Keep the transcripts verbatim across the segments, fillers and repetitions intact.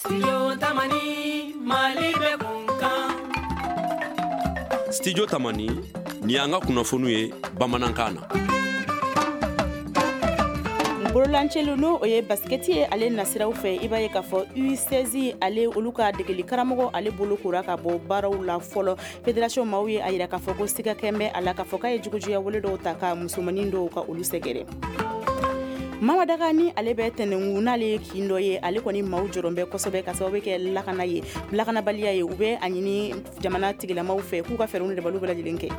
Studio Tamani, Mali bɛ kunkan. Studio Tamani, ni y'an ka kunnafoniw ye bamanankan na. Bololancelu, n'o o ye basikɛti ye, ale nasiraw fɛ, i b'a ye k'a fɔ U seize, ale olu ka degeli karamɔgɔ, ale bolo kora ka bɔ baaraw la fɔlɔ. Fédération maaw ye a yira k'a fɔ ko siga kɛn bɛ a la k'a fɔ k'a ye jugujuguya wale dɔw ta ka musomanin dɔw ka olu sɛgɛrɛ. Mamadaga, ni ale bɛ tɛnɛnku, n'ale ye kin dɔ ye, ale kɔni maaw jɔrɔ bɛ kosɛbɛ ka sababu kɛ lakana ye, lakanabaliya ye. U bɛ a ɲini jamana tigilamaw fɛ k'u ka fɛɛrɛw ni dabaliw bɛɛ lajɛlen kɛ.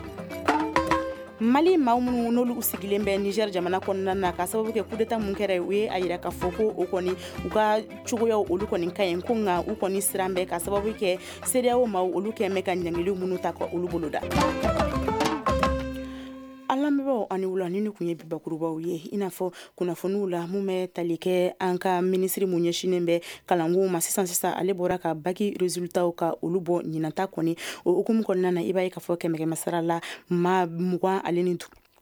Mali maa minnu n'olu sigilen bɛ Niger jamana kɔnɔna na, ka sababu kɛ coup d'état mun kɛra, u ye a yira k'a fɔ ko o kɔni u ka cogoyaw olu kɔni ka ɲi, ko nka u kɔni siran bɛ ka sababu kɛ CEDEAO maaw olu kɛn bɛ ka ɲangiliw minnu ta ka olu boloda. An lamɛnbaaw, ani wula. Ni kun ye bi bakurubaw ye, i n'a fɔ kunnafoniw la mun bɛ tali kɛ an ka minisiri mun ɲɛsinnen bɛ kalanko ma. Sisan sisan, ale bɔra ka bac résultatw ka olu bɔ. Ɲinanta kɔni, o hukumu kɔnɔna na, i b'a ye k'a fɔ kɛmɛ kɛmɛ sara la, maa mugan ale ni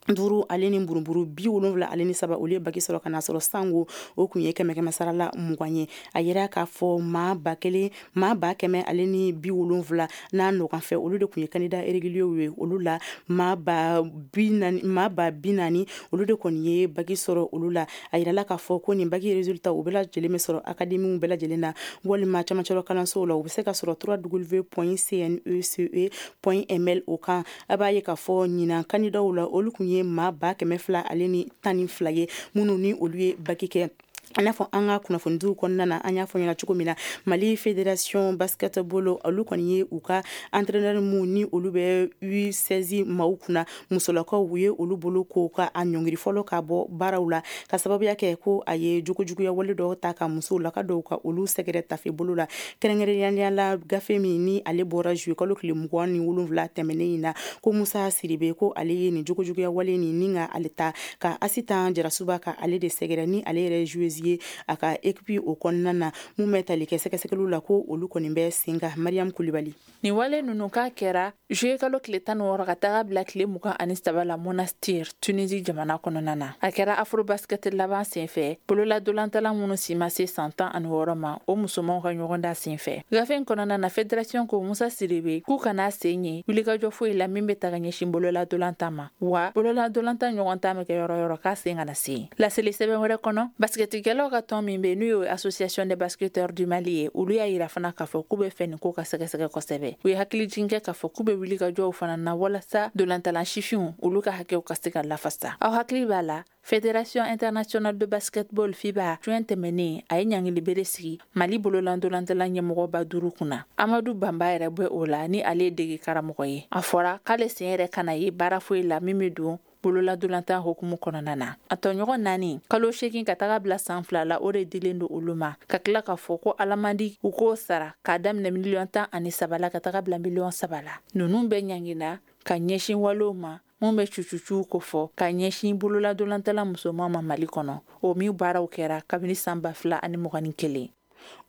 duuru ale ni buruburu bi wolonwula ale ni saba, olu ye bac sɔrɔ, ka na sɔrɔ sango o kun ye kɛmɛ kɛmɛ sara la mugan ye. A yira k'a fɔ maa ba kelen, maa ba kɛmɛ ale ni bi wolonwula n'a nɔgɔn fɛ, olu de kun ye candidat réguliers ye. Olu la, maa ba bi naani maa ba bi naani olu de kɔni ye bac sɔrɔ olu la. A yirala k'a fɔ ko nin bac résultat u bɛɛ lajɛlen bɛ sɔrɔ académie bɛɛ lajɛlen na walima camancɛrɔ kalansow la. U bɛ se ka sɔrɔ W point C N E C E point M L o kan. A b'a ye k'a fɔ ɲinan candidatw la, olu kun ye maa ba kɛmɛ fila ale ni tan ni fila ye minnu ni olu ye bac kɛ. I n'a fɔ an ka kunnafonidiw kɔnɔna na, an y'a fɔ ɲɛna cogo min na, Mali Fédération Basketball, olu kɔni ye u ka entraîneur mun ni olu bɛ U seize maaw kunna, musolakaw, u ye olu bolo ko ka a ɲɔngiri fɔlɔ ka bɔ baaraw la, ka sababuya kɛ ko a ye jogojuguya wale dɔw ta ka musolaka dɔw ka olu sɛgɛrɛ tafe bolo la, kɛrɛnkɛrɛnnenya la gafe min ni ale bɔra juillet kalo tile mugan ni wolonwula tɛmɛnen in na, ko Musa Siribe, ko ale ye nin jogojuguya wale nin ni ka ale ta ka Asitan Jarasuba ka ale de sɛgɛrɛ, ni ale yɛrɛ joueuse ye a ka équipe o kɔnɔna na. Mun bɛ tali kɛ sɛgɛsɛgɛliw la, ko olu kɔni bɛ sen kan. Mariam Kulibali. Nin wale ninnu k'a kɛra juillet kalo tile tan ni wɔɔrɔ ka taga bila tile mugan ani saba la, Monastir, Tunisie jamana kɔnɔna na. A kɛra Afrobasket laban senfɛ, bololadolantala minnu si ma se san tan ani wɔɔrɔ ma, o musomanw ka ɲɔgɔnda senfɛ. Gafe in kɔnɔna na, fédération ko Musa Siribe k'u kana sen ye wulikajɔ foyi la min bɛ taga ɲɛsin bololadolantan ma, wa bololadolantan ɲɔgɔn ta bɛ kɛ yɔrɔ yɔrɔ, k'a sen kana se. Laseli sɛbɛn wɛrɛ kɔnɔ, basketikɛlaw ka tɔn min bɛ, n'u ye Association des basketteurs du Mali ye, olu y'a yira fana k'a fɔ k'u bɛ fɛ nin ko ka sɛgɛsɛgɛ kosɛbɛ. U ye hakilijigin kɛ k'a fɔ k'u bɛ wulikajɔw fana na walasa dolantalan sifinw, olu ka hakɛw ka se ka lafasa. Aw hakili b'a la, Fédération internationale de basketball FIBA, juin tɛmɛnen, a ye ɲangili bere sigi Mali bololandolantala ɲɛmɔgɔba duuru kunna. Amadu Banba yɛrɛ bɛ o la, ni ale ye dege karamɔgɔ ye. A fɔra k'ale sen yɛrɛ kana ye baara foyi la min bɛ don bololadolantan hukumu kɔnɔna na. A tɔɲɔgɔn naani, kalo seegin ka taga bila san fila la, o de dilen don olu ma, ka tila k'a fɔ ko alamandi u k'o sara k'a daminɛ miliyɔn tan ani saba la ka taga bila miliyɔn saba la. Ninnu bɛɛ ɲangina ka ɲɛsin walew ma mun bɛ cucucuw kofɔ ka ɲɛsin bololadolantala musoman ma Mali kɔnɔ, o min baaraw kɛra kabini san ba fila ani mugan ni kelen.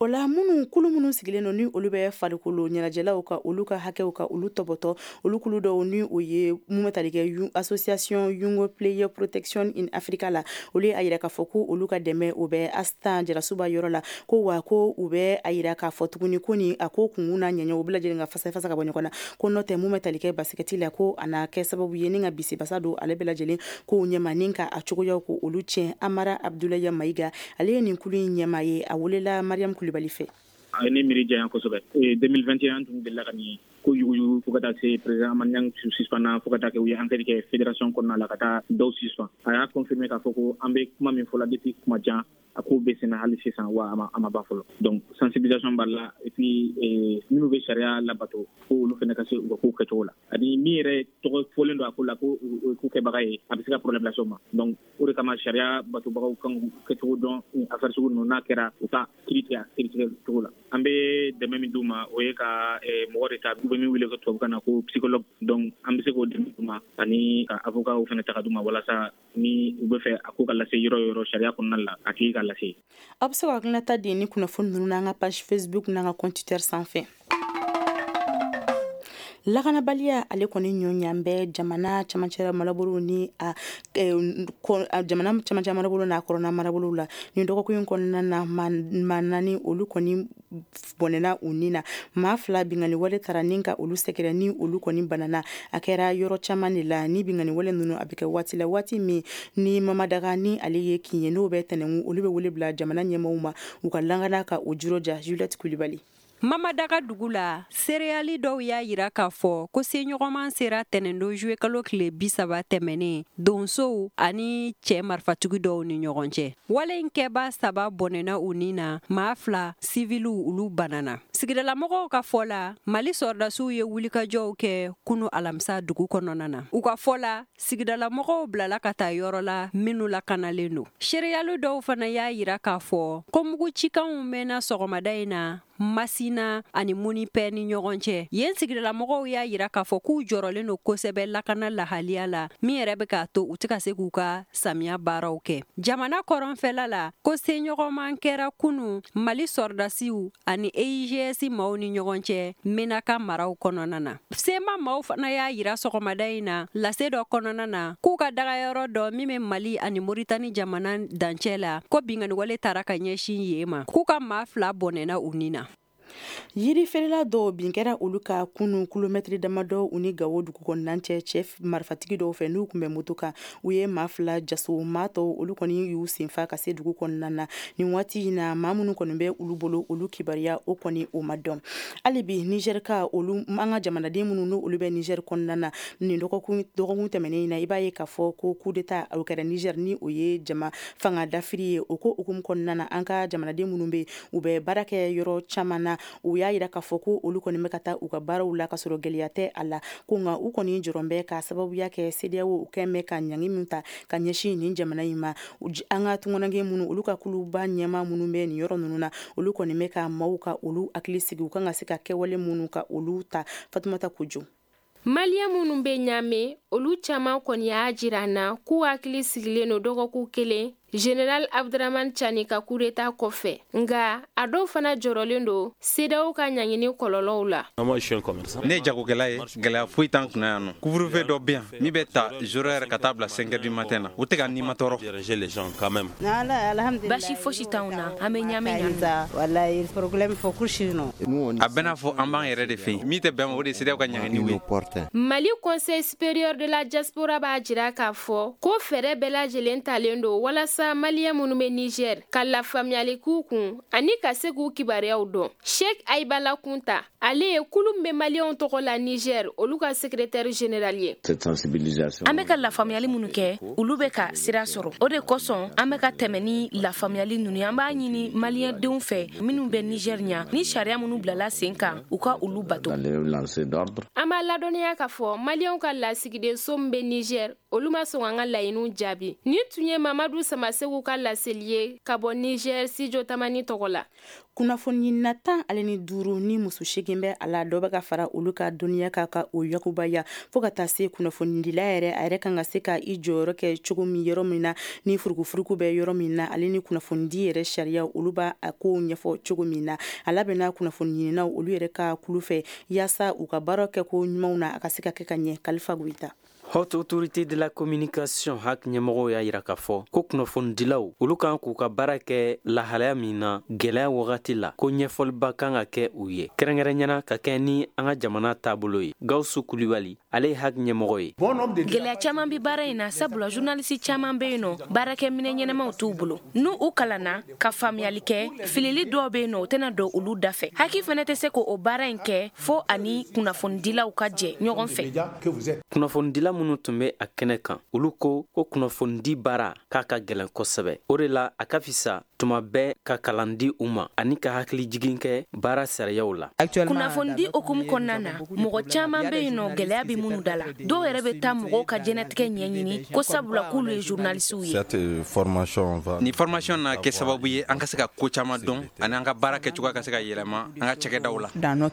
O la, minnu kulu minnu sigilen don ni olu bɛ farikolo ɲɛnajɛlaw ka olu ka hakɛw ka olu tɔbɔtɔ, olu kulu dɔw ni o ye mun bɛ tali kɛ Association Young Player Protection in Africa la, olu ye a yira k'a fɔ ko olu ka dɛmɛ o bɛ Asitan Jarasuba yɔrɔ la, ko wa ko u bɛ a yira k'a fɔ tuguni ko nin a ko kunkun n'a ɲɛɲɛ, u bɛɛ lajɛlen ka fasa fasa ka bɔ ɲɔgɔn na, ko n'o tɛ, mun bɛ tali kɛ basikɛti la, ko a na kɛ sababu ye ni ka bisibasa don ale bɛɛ lajɛlen kow ɲɛma ni ka a cogoyaw ko olu tiɲɛ. Amara Abudulayi Mayiga, ale ye nin kulu in ɲɛmaa ye. A welela Mariam Kulibali fɛ. A ye ne miiri janya kosɛbɛ. deux mille vingt et un tun delila ka nin ko yuguyugu fo ka taa se président Amadu Ɲang suspend, fo ka taa kɛ u ye enquête kɛ fédération kɔnɔna la ka taa dɔw suspend. A y'a confirmer k'a fɔ ko an bɛ kuma min fɔ la depuis kuma jan, a ko bɛ senna hali sisan, wa a ma a ma ban fɔlɔ. Donc sensibilisation b'a la, et puis minnu bɛ sariya labato, ko olu fana ka se u ka kow kɛcogo la, ani min yɛrɛ tɔgɔ fɔlen don a ko la ko ko kɛbaga ye, a bɛ se ka problème lase o ma. Donc o de kama sariya batobagaw kan k'u kɛcogo dɔn affaire sugu ninnu n'a kɛra, u ka kiiri tigɛ a kiiri tigɛ cogo la. An bɛ dɛmɛ min d'u ma, o ye ka mɔgɔ de ta, u bɛ min wele tubabukan na ko psychologue. Donc an bɛ se k'o dɛmɛ d'u ma, ani ka avocat fana ta ka d'u ma, walasa ni u bɛ fɛ a ko ka lase yɔrɔ o yɔrɔ sariya kɔnɔna la, a tigi ka lase. Aw bɛ se ka hakilinata di ni kunnafoni ninnu n'an ka page Facebook n'an ka compte Twitter sanfɛ. Lakanabaliya ale kɔni ɲɔɲan bɛ jamana camancɛra marabolo ni a jamana camancɛ marabolo n'a kɔrɔna marabolo la. Nin dɔgɔkun in kɔnɔna na, maa naani olu kɔni bɔnɛna u ni na, maa fila binkanni wale taara ni ka olu sɛgɛrɛ ni olu kɔni banana. A kɛra yɔrɔ caman de la. Ni binkanni wale ninnu a bɛ kɛ waati la, waati min ni Mamadaga ni ale ye kin ye n'o bɛ tɛnɛnku, olu bɛ wele bila jamana ɲɛmaaw ma u ka lakana ka o jirɔja. Juliette Kulibali. Mamadaga dugu la, seereyali dɔw y'a yira k'a fɔ ko seɲɔgɔnman sera tɛnɛndon juwe kalo tile bi saba tɛmɛnen donsow ani cɛ marifatigi dɔw ni ɲɔgɔn cɛ. Wale in kɛba saba bɔnɛna u ni na, maa fila siviliw olu banana. Sigidalamɔgɔw ka fɔ la, Mali sɔrɔdasiw ye wulikajɔw kɛ kunu alamisa dugu kɔnɔna na. U ka fɔ la, sigidalamɔgɔw bilala ka taa yɔrɔ la minnu lakanalen don. Seereyali dɔw fana y'a yira k'a fɔ ko mugu cikanw mɛnna sɔgɔmada in na Masina ani Munipɛ ni ɲɔgɔn cɛ. Yen sigidalamɔgɔw y'a yira k'a fɔ k'u jɔrɔlen don kosɛbɛ lakana lahaliya la, min yɛrɛ bɛ k'a to u tɛ ka se k'u ka samiya baaraw kɛ. Jamana kɔrɔnfɛla la, ko seɲɔgɔnman kɛra kunu Mali sɔrɔdasiw ani E I G S maaw ni ɲɔgɔn cɛ Menaka maraw kɔnɔna na. Sema maaw fana y'a yira sɔgɔmada in na lase dɔ kɔnɔna na k'u ka dagayɔrɔ dɔ min bɛ Mali ani Moritani jamana dancɛ la, ko binkanniwale taara ka ɲɛsin yen ma, k'u ka maa fila bɔnɛna u ni na. Yirifeerela dɔw bin kɛra olu ka kunu kilomɛtiri damadɔ u ni Gawo dugu kɔnɔna cɛ, cɛ marifatigi dɔw fɛ n'u tun bɛ moto kan. U ye maa fila jaso, maa tɔw olu kɔni y'u senfa ka se dugu kɔnɔna na. Nin waati in na, maa minnu kɔni bɛ olu bolo, olu kibaruya o kɔni o ma dɔn. Hali bi Niger ka olu an ka jamanaden minnu n'olu bɛ Niger kɔnɔna na, nin dɔgɔkun dɔgɔkun tɛmɛnen in na, i b'a ye k'a fɔ ko coup d'état o kɛra Niger ni o ye jama fanga dafiri ye. O ko hukumu kɔnɔna na, an ka jamanaden minnu bɛ u bɛ baara kɛ yɔrɔ caman na, u y'a yira k'a fɔ ko olu kɔni bɛ ka taa u ka baaraw la ka sɔrɔ gɛlɛya tɛ a la, ko nka u kɔni jɔrɔn bɛ ka sababuya kɛ CEDEAO kɛn bɛ ka ɲangi min ta ka ɲɛsin nin jamana in ma. An ka tunkaranke minnu olu ka kuluba ɲɛmaa minnu bɛ nin yɔrɔ ninnu na, olu kɔni bɛ ka maaw ka olu hakili sigi u kan ka se ka kɛwale minnu ka olu ta. Fatumata Kojo. Maliyɛn minnu bɛ Ɲame, olu caman kɔni y'a jira an na k'u hakili sigilen don dɔgɔkun kelen Général Abdramane Tiani ka coup d'état kɔfɛ. Nka a dɔw fana jɔrɔlen don CEDEAO ka ɲangini kɔlɔlɔw la. Ne ye jagokɛla ye, gɛlɛya foyi t'an kunna yan nɔ. Couvre-feu dɔ bɛ yan min bɛ ta zéro heure ka taa bila cinq heures du matin na, o tɛ ka nima tɔɔrɔ. Basi fosi t'anw na, an bɛ Ɲame yan. A bɛ n'a fɔ an b'an yɛrɛ de fɛ yen, min tɛ bɛn ma o de ye CEDEAO ka ɲangini ye. Mali Conseil supérieur de la diaspora b'a jira k'a fɔ ko fɛɛrɛ bɛɛ lajɛlen talen don walasa maliyɛn minnu bɛ Niger ka lafaamuyali k'u kun ani ka se k'u kibaruyaw dɔn. Sheikh Aibala Kunta, ale ye kulu min bɛ maliyɛnw tɔgɔ la Niger, olu ka secrétaire général ye. An bɛ ka lafaamuyali minnu kɛ, olu bɛ ka sira sɔrɔ. O de kosɔn an bɛ ka tɛmɛ ni lafaamuyali ninnu ye. An b'a ɲini maliyɛndenw fɛ minnu bɛ Niger ɲa, ni sariya minnu bilala sen kan, u ka olu bato. An b'a ladɔnniya k'a fɔ maliyɛnw ka lasigidenso min bɛ Niger, olu ma sɔn an ka laɲiniw jaabi. Nin tun ye Mamadu Samasegu ka laseli ye ka bɔ Niger Studio Tamani tɔgɔ la. Kunnafoni na tan ale ni duuru ni muso seegin bɛ a la, dɔ bɛ ka fara olu ka dɔnniya kan ka o yakubaya fo ka taa se kunnafonidila yɛrɛ a yɛrɛ kan ka se ka i jɔyɔrɔ kɛ cogo min yɔrɔ min na ni furukufuruku bɛ yɔrɔ min na, ale ni kunnafonidi yɛrɛ sariya olu b'a a kow ɲɛfɔ cogo min na. A labɛnna kunnafoni ɲininaw olu yɛrɛ ka kulu fɛ yaasa u ka baara kɛ ko ɲumanw na a ka se ka kɛ ka ɲɛ. Kalifa Goyita. Haute Autorité de la Communication H A C ɲɛmɔgɔw y'a yira k'a fɔ ko kunnafonidilaw olu kan k'u ka baara kɛ lahalaya min na gɛlɛya wagati la, ko ɲɛfɔliba kan ka kɛ u ye, kɛrɛnkɛrɛnyana ka kɛ ni an ka jamana taabolo ye. Gawusu Kulibali, ale ye H A C ɲɛmɔgɔ ye. Gɛlɛya caman bɛ baara in na, sabula journaliste caman bɛ yen nɔ, baarakɛminɛ ɲɛnamaw t'u bolo. N'u u kalanna ka faamuyali kɛ, filili dɔw bɛ yen nɔ, o tɛna don olu da fɛ. H A C fana tɛ se k'o baara in kɛ fo ani kunnafonidilaw ka jɛ ɲɔgɔn fɛ. Kunnafonidila minnu tun bɛ a kɛnɛ kan, olu ko ko kunnafonidi baara k'a ka gɛlɛn kosɛbɛ. O de la a ka fisa tuma bɛɛ ka kalan di u ma ani ka hakili jigin kɛ baara sariyaw la. Kunnafonidi hukumu kɔnɔna na, mɔgɔ caman bɛ yen nɔ gɛlɛya bɛ minnu da la. Dɔw yɛrɛ bɛ taa mɔgɔw ka diɲɛnatigɛ ɲɛɲini ko sabula k'olu ye journalistew ye. Nin formation na kɛ sababu ye an ka se ka ko caman dɔn ani an ka baara kɛcogoya ka se ka yɛlɛma an ka cakɛdaw la. An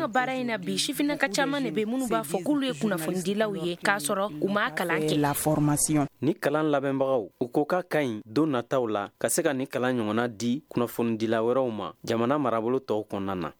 ka baara in na bi, sifinnaka caman de bɛ minnu b'a fɔ k'olu ye kunnafonidilaw ye k'a sɔrɔ u m'a kalan kɛ. Ni kalan labɛnbagaw u ko k'a ka ɲi don nataw la ka se ka nin kalan ɲɔgɔnna di kunnafonidila wɛrɛw ma jamana marabolo tɔw kɔnɔna na.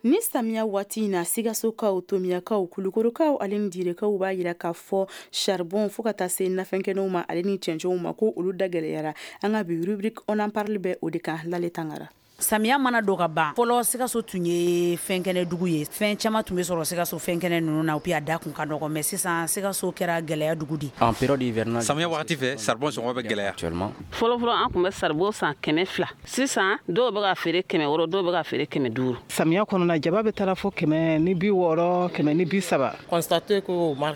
Ni samiya waati in na, Sikasokaw, Tomiyakaw, Kulukorokaw ale ni Direkaw b'a yira k'a fɔ charbon fo ka taa se nafɛnkɛnɛw ma ale ni cɛncɛnw ma, ko olu da gɛlɛyara. An ka bi rubrique on en parle bɛ o de kan. Lale Tangara. Samiya mana don ka ban, fɔlɔ Sikaso tun ye fɛnkɛnɛ dugu ye, fɛn caman tun bɛ sɔrɔ Sikaso fɛnkɛnɛ ninnu na, puis a da kun ka nɔgɔ. Mais sisan Sikaso kɛra gɛlɛya dugu de. En période hivernale, samiya wagati fɛ, charbon sɔngɔ bɛ gɛlɛya. Fɔlɔ fɔlɔ an tun bɛ charbon san kɛmɛ fila, sisan dɔw bɛ ka feere kɛmɛ wɔɔrɔ, dɔw bɛ ka feere kɛmɛ duuru. Samiya kɔnɔna, jaba bɛ taara fo kɛmɛ ni bi wɔɔrɔ, kɛmɛ ni bi saba.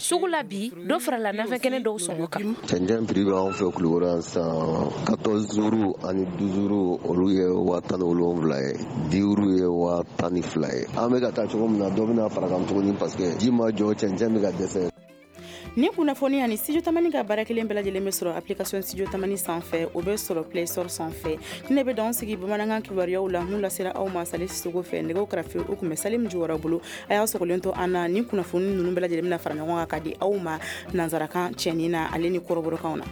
Sugu la bi, dɔ farala nafɛnkɛnɛ dɔw sɔngɔ kan. Cɛncɛn prix bɛ anw fɛ Kulukoro yan sisan, quatorze euros ani douze euros, olu ye waa tan ni wolonwula ye, dix euros ye waa tan ni fila ye. An bɛ ka taa cogo min na, dɔ bɛna fara kan tuguni parce que ji ma jɔ, cɛncɛn bɛ ka dɛsɛ. Ni kunnafoni ani Studio Tamani ka baara kelen bɛɛ lajɛlen bɛ sɔrɔ application Studio Tamani sanfɛ, o bɛ sɔrɔ Play Store sanfɛ. Ne bɛ dan sigi bamanankan kibaruyaw la mun lasera aw ma Sali Sisoko fɛ. Nɛgɛw karafe o tun bɛ Salim Juwara bolo. A y'a sɔgɔlen to an na, ni kunnafoni ninnu bɛɛ lajɛlen bɛna fara ɲɔgɔn kan ka di aw ma nansarakan cɛnin na ale ni kɔrɔbɔrɔkanw na.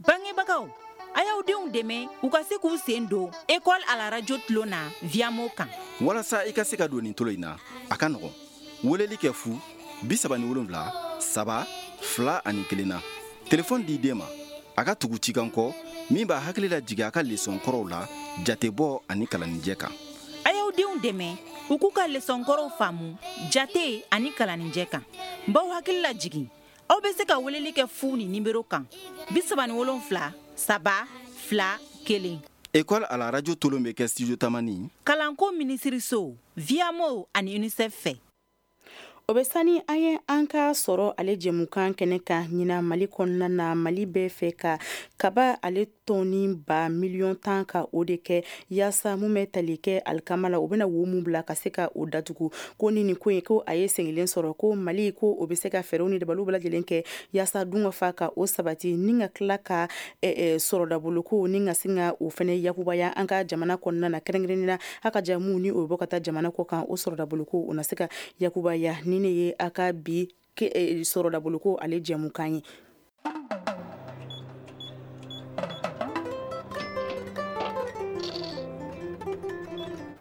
Bangebagaw, a y'aw denw dɛmɛ u ka se k'u sen don école à la radio tulon na Viamo kan. Walasa i ka se ka don nin tolo in na, a ka nɔgɔn. Weleli kɛ fu bi saba ni wolonwula saba fila ani kelen na. Telefɔni di den ma, a ka tugu cikan kɔ min b'a hakili lajigin a ka lesɔn kɔrɔw la, jatebɔ ani kalanijɛ kan. A y'aw denw dɛmɛ u k'u ka lesɔn kɔrɔw faamu jate ani kalanijɛ kan. N b'aw hakili lajigin, aw bɛ se ka weleli kɛ fu ni nimero kan, bi saba ni wolonwula saba fila kelen. École à la radio tolon bɛ kɛ Studio Tamani, kalanko minisiriso, Viamo ani UNICEF fɛ. O bɛ sani an ye an ka sɔrɔ ale jɛmukan kɛnɛ kan. Ɲinan Mali kɔnɔna na, Mali bɛ fɛ ka kaba ale tɔni ba miliyɔn tan ka o de kɛ yaasa mun bɛ tali kɛ alikama la, o bɛna wo mun bila ka se ka o datugu. Ko ni nin ko in ko a ye senkelen sɔrɔ, ko Mali ko o bɛ se ka fɛɛrɛw ni dabaliw bɛɛ lajɛlen kɛ yaasa dun ka fa ka o sabati, ni ka tila ka sɔrɔdaboloko ni ka sin ka o fɛnɛ yakubaya an ka jamana kɔnɔna na, kɛrɛnkɛrɛnnenya la a ka jamu ni o bɛ bɔ ka taa jamana kɔ kan, o sɔrɔdaboloko o na se ka yakubaya. Ni ne ye a ka bi sɔrɔdaboloko ale jɛmukan ye.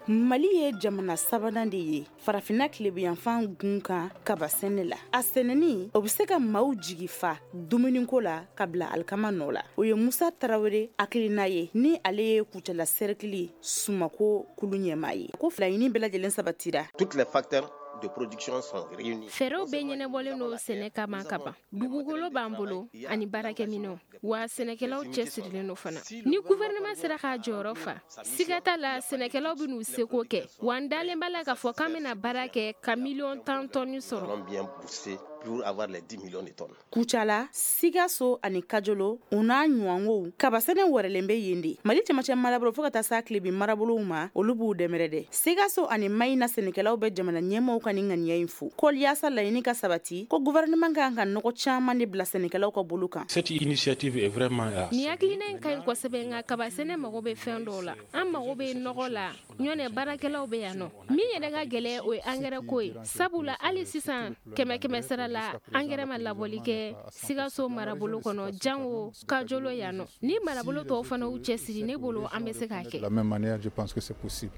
Mali ye jamana sabanan de ye farafinna tilebiyanfan gun kan kaba sɛnɛ la. A sɛnɛni o bɛ se ka maaw jigi fa dumuniko la ka bila alikama nɔ la. O ye Musa Tarawele hakilina ye, ni ale ye Kucala cercle sumako kulu ɲɛmaa ye. Ko laɲini bɛɛ lajɛlen sabatira. Toutes les facteurs de production sont réunis. Fɛɛrɛw bɛɛ ɲɛnabɔlen don sɛnɛ kama ka ban. Dugukolo b'an bolo ani baarakɛminɛnw, wa sɛnɛkɛlaw cɛsirilen don fana. Ni gouvernement sera k'a jɔyɔrɔ fa, siga t'a la sɛnɛkɛlaw bɛ n'u seko kɛ. Wa n dalen b'a la k'a fɔ k'an bɛna baara kɛ ka miliyɔn tan tɔni sɔrɔ. Bien bosser pour avoir les dix millions de tonnes. Kucala, Sikaso ani Kajolo, u n'a ɲɔgɔnw kabasɛnɛ wɛrɛlen bɛ yen de. Mali cɛmancɛ marabolo fo ka taa s'a tilebin marabolow ma, olu b'u dɛmɛrɛ dɛ. Sikaso ani Mayina sɛnɛkɛlaw bɛ jamana ɲɛmaaw ka nin ŋaniya in fo. Ko yaasa laɲini ka sabati, ko gouvernement kan ka nɔgɔ caman de bila sɛnɛkɛlaw ka bolo kan. Cette initiative est vraiment Nin hakilina in ka ɲi kosɛbɛ, nka kabasɛnɛ mago bɛ fɛn dɔw la. An mago bɛ nɔgɔ la, ɲɔnɛ baarakɛlaw bɛ yan nɔ. Min yɛrɛ ka gɛlɛn, o ye angɛrɛ ko ye. Sabula hali sisan kɛmɛ kɛmɛ sara la, angɛrɛ ma labɔli kɛ Sikaso marabolo kɔnɔ, jango Kajolo yan nɔ. Ni marabolo tɔw fana y'u cɛsiri, ne bolo an bɛ se k'a kɛ.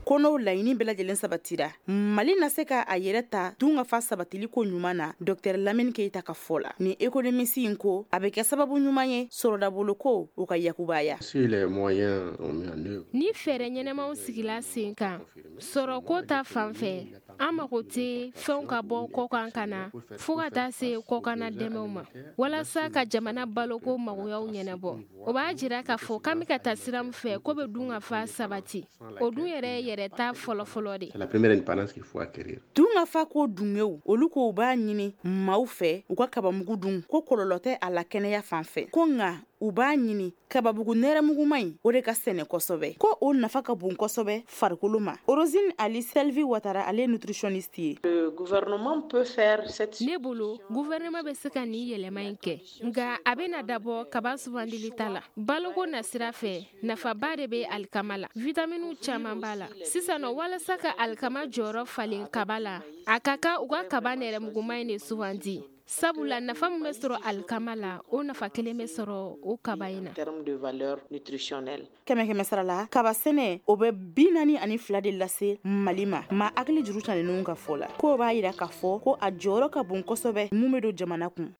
Ko n'o laɲini bɛɛ lajɛlen sabatira, Mali na se ka a yɛrɛ ta dun ka fa sabatili ko ɲuman na. Docteur Lamine Keita ka fɔ la, ni économiste in ko a bɛ kɛ sababu ɲuman ye sɔrɔdabolo ko o ka yakubaya. Ni fɛɛrɛ ɲɛnɛmaw sigila sen kan sɔrɔko ta fan fɛ, an mago tɛ fɛnw ka bɔ kɔkan ka na fo ka taa se kɔkanna dɛmɛw ma walasa ka jamana baloko magoyaw ɲɛnabɔ. O b'a jira k'a fɔ k'an bɛ ka taa sira min fɛ, ko bɛ dun ka fa sabati. O dun yɛrɛ yɛrɛ ta fɔlɔfɔlɔ de. Dun ka fa ko dungew, olu ko u b'a ɲini maaw fɛ u ka kabamugu dun, ko kɔlɔlɔ tɛ a la kɛnɛya fan fɛ. Ko nka u b'a ɲini kababugu nɛrɛmuguma in o de ka sɛnɛ kosɛbɛ, ko o nafa ka bon kosɛbɛ farikolo ma. Orosine Ali Selvi Watara, ale nutritionniste ye. Ne bolo gouvernement bɛ se ka nin yɛlɛma in kɛ, nka a bɛna dabɔ kaba sugandili ta la. Baloko nasira fɛ, nafaba de bɛ alikama la, vitaminiw caman b'a la. Sisan nɔ, walasa ka alikama jɔyɔrɔ falen kaba la, a ka kan u ka kaba nɛrɛmuguma in de sugandi. Sabula nafa min bɛ sɔrɔ alikama la, o nafa kelen bɛ sɔrɔ o kaba in na. Kɛmɛ kɛmɛ sara la, kaba sɛnɛ o bɛ bi naani ani fila de lase Mali ma. Ma hakili juru ta ninnu ka fɔ la, k'o b'a yira k'a fɔ ko a jɔyɔrɔ ka bon kosɛbɛ mun bɛ don jamana kun.